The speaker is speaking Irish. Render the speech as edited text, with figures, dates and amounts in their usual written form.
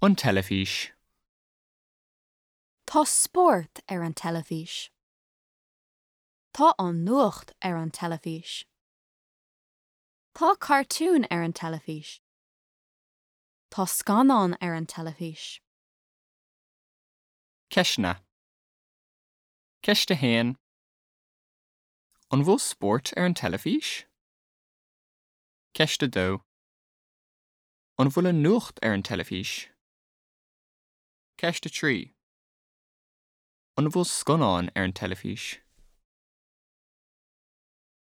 An teilifís. Tá spórt ar an teilifís. Tá an nuacht ar an teilifís. Tá cartúin ar an teilifís. Tá scannáin ar an teilifís. Ceisteanna. Ceist 1. An bhfuil spórt ar an teilifís? Ceist 2. An bhfuil an nuacht ar an teilifís? Ceist 3. An bhfuil scannáin ar an teilifís?